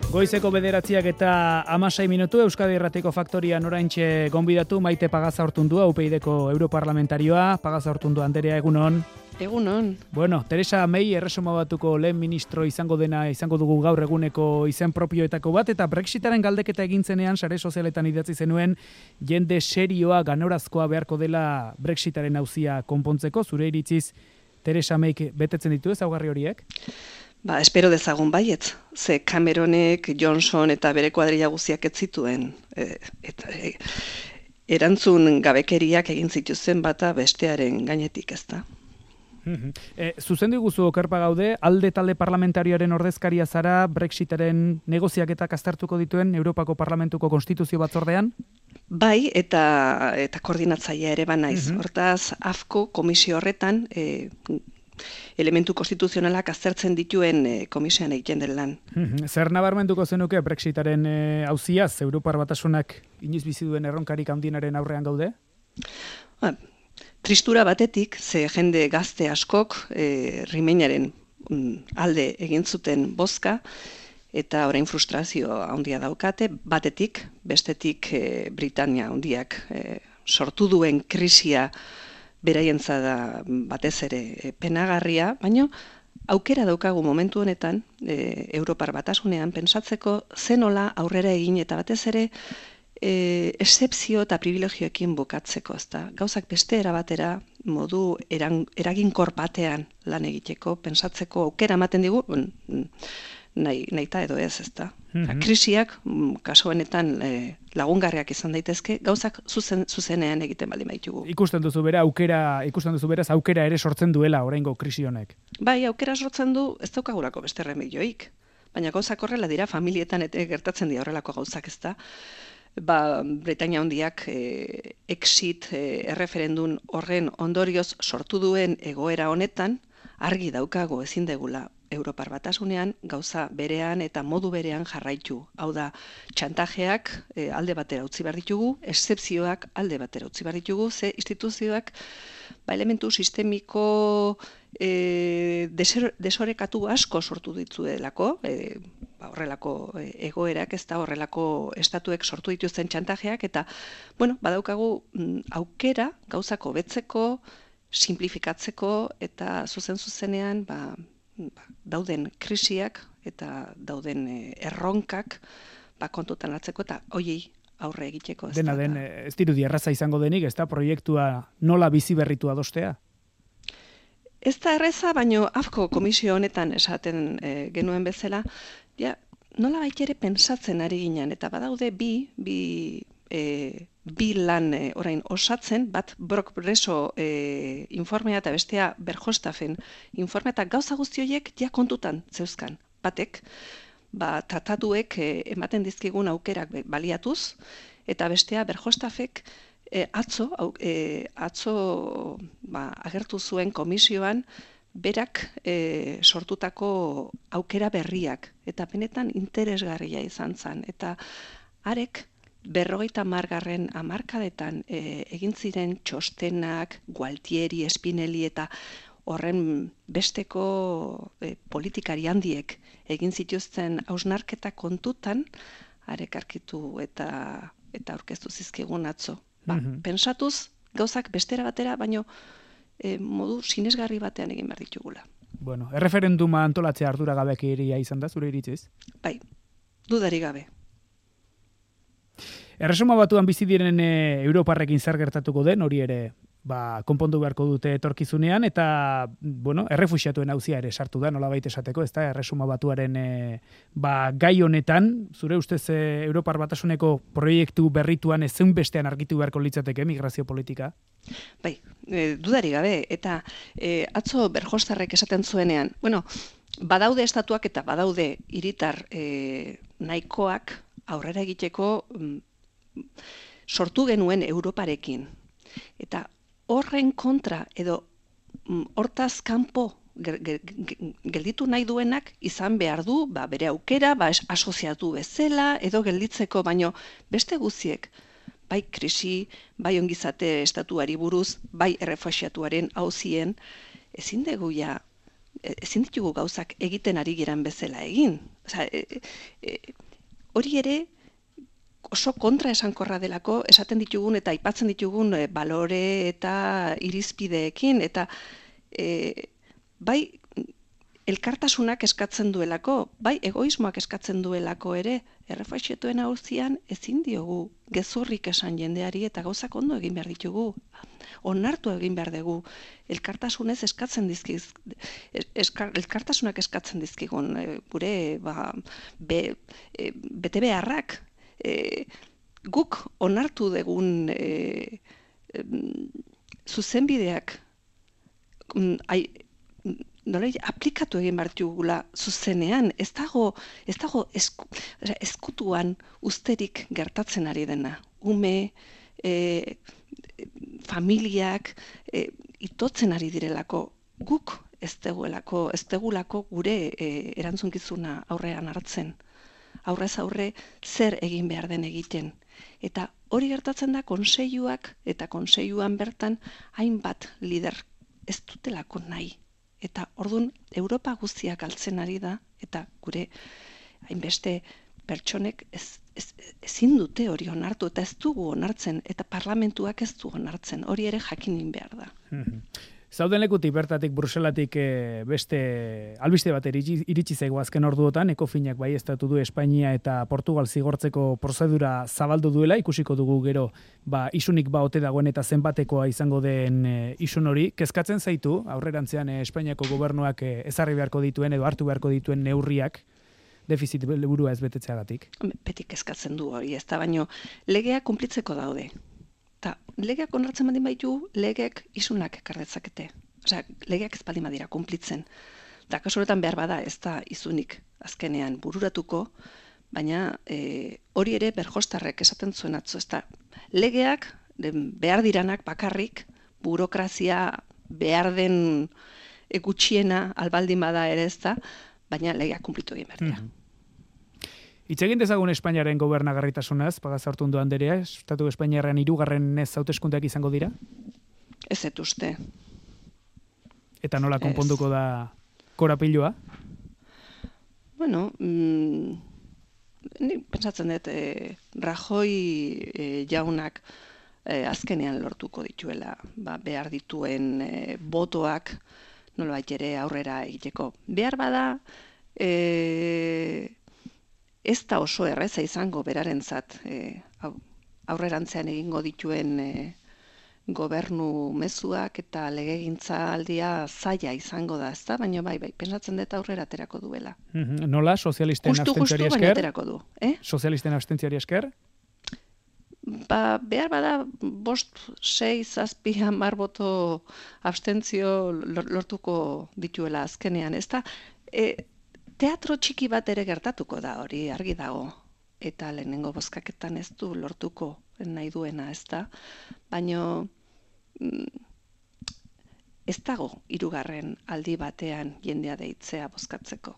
Goizeko 9:16 Euskadi Irratiko Faktorian oraintxe gonbidatu Maite Pagazaurtundua, UPyDko europarlamentarioa. Pagazaurtundua anderea, egunon. Egunon. Bueno, Teresa May Erresuma Batuko lehen ministro izango dugu gaur eguneko izen propioetako bat, eta Brexitaren galdeketa egintzenean sare sozialetan idatzi zenuen jende serioa ganorazkoa beharko dela Brexitaren auzia konpontzeko. Zure iritziz Teresa Mayk betetzen ditu ezaugarri horiek? Espero dezagun baietz. Ze Cameronek, Johnson eta bere kuadrilla guztiak ez zituen. Erantzun gabekeriak egin zituzten bata bestearen gainetik, ezta? Zuzendu guzu okerpa gaude, alde talde parlamentarioaren ordezkaria zara Brexitaren negoziaketak aztertuko dituen Europako Parlamentuko Konstituzio Batzordean? Bai, eta koordinatzailea ere banaiz. Hortaz, AFCO komisio horretan elementu konstituzionalak aztertzen dituen komisioan egiten den lan. Zer nabarmenduko zenuke Brexitaren auziaz, Europar Batasunak inoiz bizi duen erronkarik handienaren aurrean gaude? Tristura batetik, ze jende gazte askok Remainaren alde egin zuten bozka, eta orain frustrazio handia daukate, batetik, bestetik Britania handiak sortu duen krisia beraientza da batez ere penagarria, baina aukera daukagu momentu honetan Europar Batasunean pentsatzeko zenola aurrera egin eta batez ere excepzio eta privilegioekin bukatzeko, ezta. Gauzak beste erabatera modu eraginkor batean lan egiteko, pentsatzeko aukera ematen digu, nahita edo ez, ezta. Krisiak, kasu honetan lagungarriak izan daitezke, gauzak zuzenean egiten baldin baitugu. Ikusten duzu beraz aukera ere sortzen duela oraingo krisi honek. Bai, aukera sortzen du, ez daukagulako beste remedioik. Baina gauzak horrela dira, familietan gertatzen dira horrelako gauzak, ezta. Britania handiak exit erreferendum horren ondorioz sortu duen egoera honetan, argi daukago ezin degula Europar Batasunean gauza berean eta modu berean jarraitu. Hau da, txantajeak alde batera utzi behar ditugu, exzepzioak alde batera utzi behar ditugu, ze instituzioak elementu sistemiko desorekatu asko sortu ditzuelako, horrelako egoerak, ez da horrelako estatuek sortu dituzten txantajeak, eta badaukagu aukera gauzak hobetzeko, simplifikatzeko eta zuzenean dauden krisiak eta dauden erronkak kontutan hartzeko eta hoiei aurre egiteko. Dena den, ez dirudi erraza izango denik, ez da proiektua nola bizi berritu adostea? Ez da erraza, baino AFCO komisio honetan esaten genuen bezala, nola baitere pentsatzen ari ginen, eta badaude bi lan orain osatzen, bat Brok Breso informea eta bestea Verhofstadten informea, eta gauza guzti horiek kontutan zeuzkan. Batek, tratatuek ematen dizkigun aukerak baliatuz, eta bestea Verhofstadtek atzo agertu zuen komisioan berak sortutako aukera berriak, eta benetan interesgarria izan zen, eta arek 50. hamarkadetan egin ziren txostenak, Gualtieri, Spinelli eta horren besteko politikari handiek egin zituzten hausnarketa kontutan, arek arkitu eta aurkeztu zizkigun atzo. Pentsatuz, gauzak bestera batera, baino modu sinesgarri batean egin behar ditugula. Bueno, erreferenduma antolatzea arduragabekeria izan da, zure iritziz? Bai, dudari gabe. Erresuma Batuan bizi diren europarrekin zer gertatuko den, hori ere konpondu beharko dute etorkizunean, eta errefuxiatuen auzia ere sartu da, nolabait esateko, ez da, Erresuma Batuaren gai honetan, zure ustez Europar Batasuneko proiektu berrituan ezin bestean argitu beharko litzateke migrazio politika? Bai, dudari gabe, eta atzo Verhofstadtek esaten zuenean, badaude estatuak eta badaude hiritar nahikoak aurrera egiteko sortu genuen Europarekin. Eta horren kontra edo hortaz kanpo gelditu nahi duenak izan behar du, bere aukera, asoziatu bezala edo gelditzeko, baino beste guztiek, bai krisi, bai ongizate estatuari buruz, bai errefuxiatuaren auzien, ezin dugu ezin ditugu gauzak egiten ari giran bezala egin. Osea, hori ere oso kontra esankorra delako esaten ditugun eta aipatzen ditugun balore eta irizpideekin, eta bai elkartasunak eskatzen duelako, bai egoismoak eskatzen duelako ere, errefuxiatuen auzian ezin diogu gezurrik esan jendeari eta gauzak ondo egin behar ditugu. Onartu egin behar dugu, elkartasunak eskatzen dizkigun gure bete beharrak, guk onartu dugun zuzenbideak aplikatu egin behar dugula zuzenean, ez dago ezkutuan usterik gertatzen ari dena. Ume, familiak itotzen ari direlako, guk ez degulako gure erantzunkizuna aurrean hartzen. Aurrez aurre zer egin behar den egiten. Eta hori gertatzen da konseiluak eta konseiluan bertan hainbat lider ez dutelako nahi. Eta orduan Europa guztiak galtzen ari da, eta gure hainbeste pertsonek ezin dute hori onartu, eta ez dugu onartzen, eta parlamentuak ez du onartzen, hori ere jakinin behar da. Zauden lekutik bertatik Bruselatik beste albiste bat iritsi zaigu azken orduotan, Ekofinak baieztatu du Espainia eta Portugal zigortzeko prozedura zabaldu duela, ikusiko dugu gero isunik ote dagoen eta zenbatekoa izango den isun hori. Kezkatzen zaitu, aurrerantzean Espainiako gobernuak ezarri beharko dituen edo hartu beharko dituen neurriak, defizit helburua ez betetzeagatik? Beti kezkatzen du hori, ez da, baino legeak kunplitzeko daude. Eta legeak onartzen baldin baitu, legeak isunak ekar dezakete. Osea, legeak ez baldin badira kunplitzen. Eta kasu honetan behar bada ez da izunik azkenean bururatuko, baina hori ere Berjostarrek esaten zuen atzo, ez da. Legeak behar diranak bakarrik, burokrazia behar den gutxiena albaldin bada ere ez da, baina legeak kunplitu egin behar dira. Hitz egin dezagun Espainiaren gobernagarritasunaz, Pagazaurtundu anderea, Estatu Espainiarrean 3. hauteskundeak izango dira? Ez dut uste. Eta nola konponduko da korapilua? Bueno, ni pentsatzen dut Rajoy jaunak azkenean lortuko dituela, behar dituen botoak nolabait ere aurrera egiteko. Behar bada, ez da oso erreza izango berarentzat aurrerantzean egingo dituen gobernu mezuak eta legegintzaldia zaila izango da, ezta? Baina bai, pentsatzen dut aurrera aterako duela. Nola, sozialisten abstentziari esker? Baina aterako du. Sozialisten abstentziari esker? Behar bada 5, 6, 7, 10 boto abstentzio lortuko dituela azkenean, ezta? Teatro txiki bat ere gertatuko da hori, argi dago. Eta lehenengo bozkaketan ez du lortuko nahi duena, ez da. Baina ez dago 3. aldi batean jendea deitzea bozkatzeko.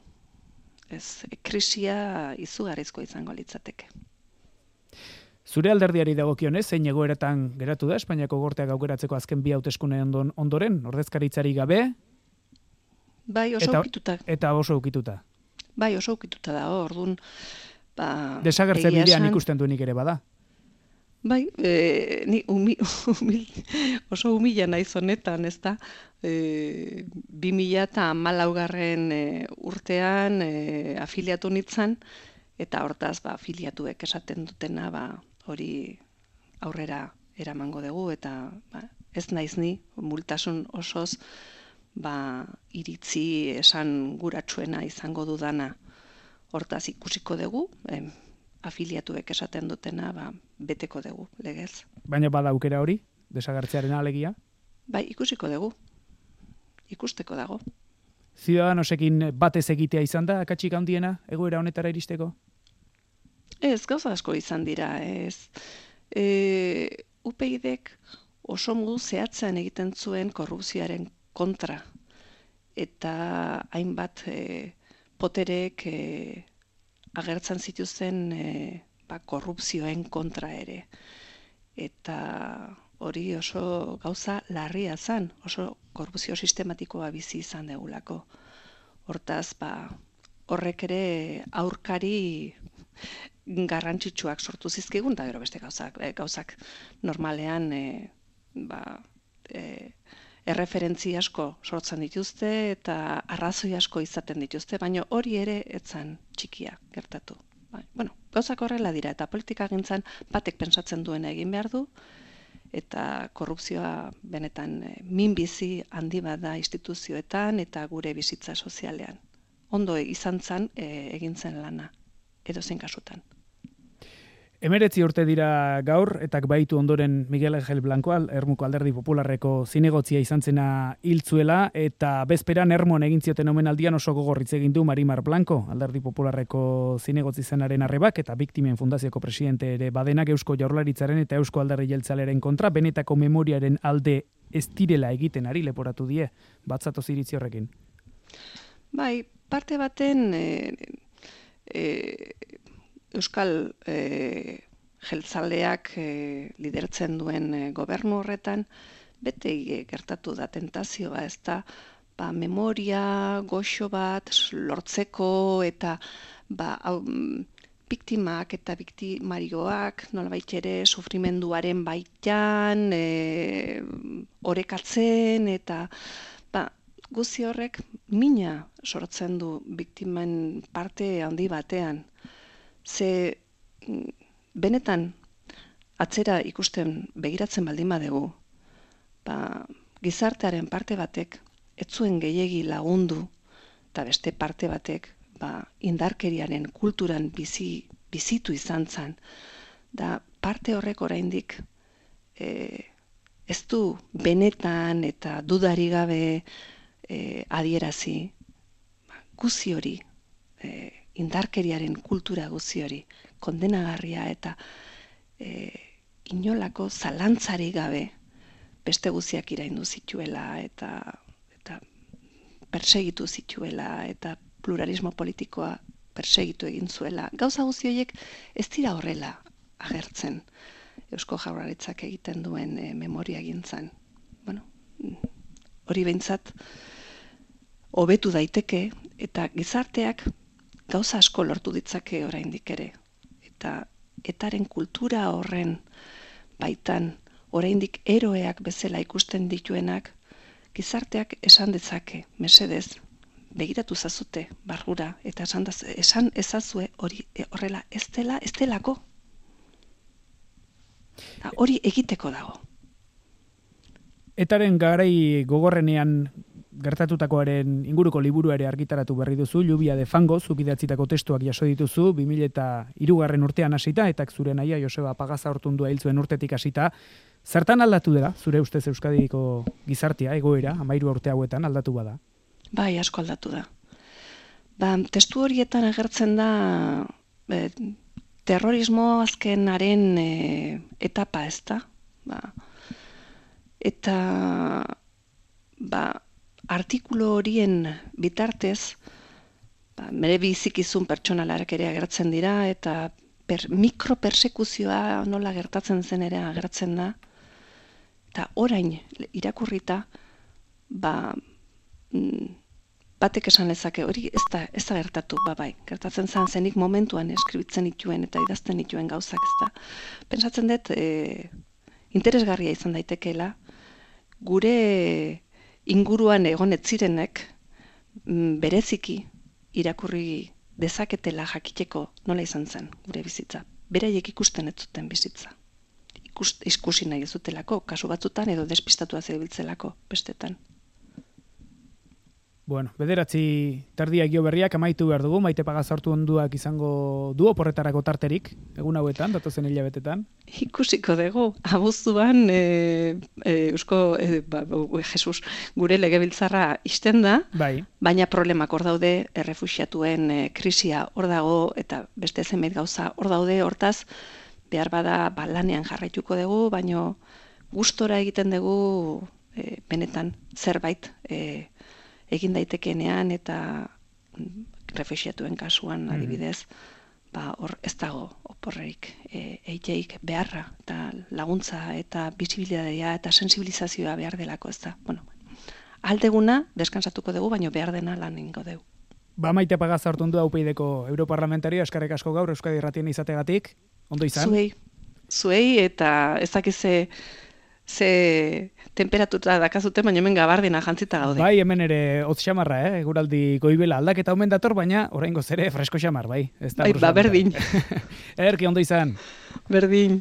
Ez, krisia izugarrizko izango litzateke. Zure alderdiari dagokionez, zein egoeratan geratu da Espainiako Gorteak aukeratzeko azken 2 hauteskunde ondoren, ordezkaritzari gabe? Bai, oso ukituta. Eta oso ukituta. Bai, oso ukituta da, orduan. Desagertze bidean ikusten duenik ere bada. Bai, ni oso humila naiz honetan, ez da. 2014 urtean afiliatu nintzen, eta hortaz afiliatuek esaten dutena hori aurrera eramango dugu, eta ez naiz ni, multasun osoz, iritzi esan guratsuena izango dudana. Hortaz ikusiko dugu, afiliatuek esaten dutena, beteko dugu, legez. Baina bada aukera hori, desagertzearen alegia? Bai, ikusiko dugu. Ikusteko dago. Ciudadanosekin batez egitea izan da, akatsik handiena, egoera honetara iristeko? Ez, gauza asko izan dira, ez. UPyDek oso modu zehatzean egiten zuen korrupzioaren kontra. Eta hainbat poterek agertzen zituzten korrupzioen kontra ere. Eta hori oso gauza larria zen, oso korrupzio sistematikoa bizi izan degulako. Hortaz, horrek ere aurkari garrantzitsuak sortu zizkigun, eta gero beste gauzak normalean erreferentzi asko sortzen dituzte eta arrazoi asko izaten dituzte, baina hori ere etzan txikia gertatu. Bueno, gauzak horrela dira, eta politika gintzan batek pentsatzen duena egin behar du, eta korrupzioa benetan minbizi handi bat da instituzioetan eta gure bizitza sozialean. Ondo izan zen egin zen lana, edozein kasutan. 19 urte dira gaur, eta baitu ondoren Miguel Ángel Blanco, Ermuko Alderdi Popularreko zinegotzia izan zena hiltzuela, eta bezperan Ermon egin zioten omenaldian oso gogorritz egin du Marimar Blanco, Alderdi Popularreko zinegotzi zenaren arrebak, eta Biktimen Fundazioko presidente ere badenak Eusko Jaurlaritzaren eta Eusko Alderdi Jeltzalearen kontra, benetako memoriaren alde ez direla egiten ari leporatu die, batzatoz iritzi horrekin. Bai, parte baten Euskal jeltzaleak lidertzen duen gobernu horretan, bete gertatu da tentazioa, ez da, memoria goxo bat lortzeko eta biktimak eta biktimarioak nolabait ere sufrimenduaren baitan orekatzen eta guzti horrek mina sortzen du biktimen parte handi batean. Ze benetan atzera ikusten begiratzen baldin badegu, gizartearen parte batek ez zuen gehiegi lagundu eta beste parte batek indarkeriaren kulturan bizitu izan zen, da parte horrek oraindik ez du benetan eta dudari gabe adierazi guzi hori, indarkeriaren kultura guzi hori, kondenagarria eta inolako zalantzari gabe beste guziak iraindu zituela eta persegitu zituela eta pluralismo politikoa persegitu egin zuela. Gauza guzi horiek ez dira horrela agertzen Eusko Jaurlaritzak egiten duen memoria gintzan. Bueno, hori behintzat hobetu daiteke eta gizarteak gauza asko lortu ditzake oraindik ere. Eta etaren kultura horren baitan oraindik eroeak bezala ikusten dituenak gizarteak esan dezake, mesedez, begiratu zazute barrura eta esan ezazue hori horrela ez delako. Hori egiteko dago. Etaren garai gogorrenean gertatutakoaren inguruko liburu ere argitaratu berri duzu, Lluvia de Fango, zuk idatzitako testuak jaso dituzu, 2003 urtean hasita, eta zure naia Joseba Pagaza Ortundua hil zuen urtetik hasita. Zertan aldatu dela, zure ustez Euskadiko gizartea, egoera, 13 urte hauetan aldatu bada? Bai, asko aldatu da. Testu horietan agertzen da terrorismo azkenaren etapa, ez da? Eta artikulu horien bitartez, mere bizikizun pertsonalak ere agertzen dira, eta mikropersekuzioa nola gertatzen zen ere agertzen da, eta orain irakurrita, batek esan lezake, hori ez da gertatu, bai, gertatzen zen zenik momentuan eskribitzen dituen eta idazten dituen gauzak, ez da. Pentsatzen dut, interesgarria izan daitekeela, gure inguruan egon ez zirenek bereziki irakurri dezaketela jakiteko nola izan zen gure bizitza. Beraiek ikusten ez zuten bizitza. Ikusi nahi ez dutelako, kasu batzutan edo despistatua zebiltzelako bestetan. Bueno, 9:00 berriak amaitu behar dugu, Maite Pagaza Ortunduak izango du oporretarako tarterik, egun hauetan, datozen hilabetetan? Ikusiko dugu, abuztuan Jesus, gure legebiltzarra ixten da, bai. Baina problemak hor daude, errefuxiatuen krisia hor dago, eta beste zenbait gauza hor daude, hortaz, behar bada lanean jarraituko dugu, baina gustora egiten dugu benetan zerbait egin daitekenean eta refuxiatuen kasuan adibidez, hor ez dago oporrerik, eiteik beharra, eta laguntza, eta bisibilitatea, eta sensibilizazioa behar delako, ez da. Bueno, aldeguna deskansatuko dugu, baino behar dena lan ingo dugu. Ba, Maite Pagaza hartu du UPyDko europarlamentario, eskarrik asko gaur Euskadi Irratien izategatik, ondo izan? Zuei eta ez dakiz ze temperatura dakazute, baina hemen gabardina jantzita gaude. Bai, hemen ere hotz xamarra, eguraldi goibela aldaketa omen dator, baina oraingoz ere fresko xamar, bai. Bai, berdin. Ederki ondo izan. Berdin.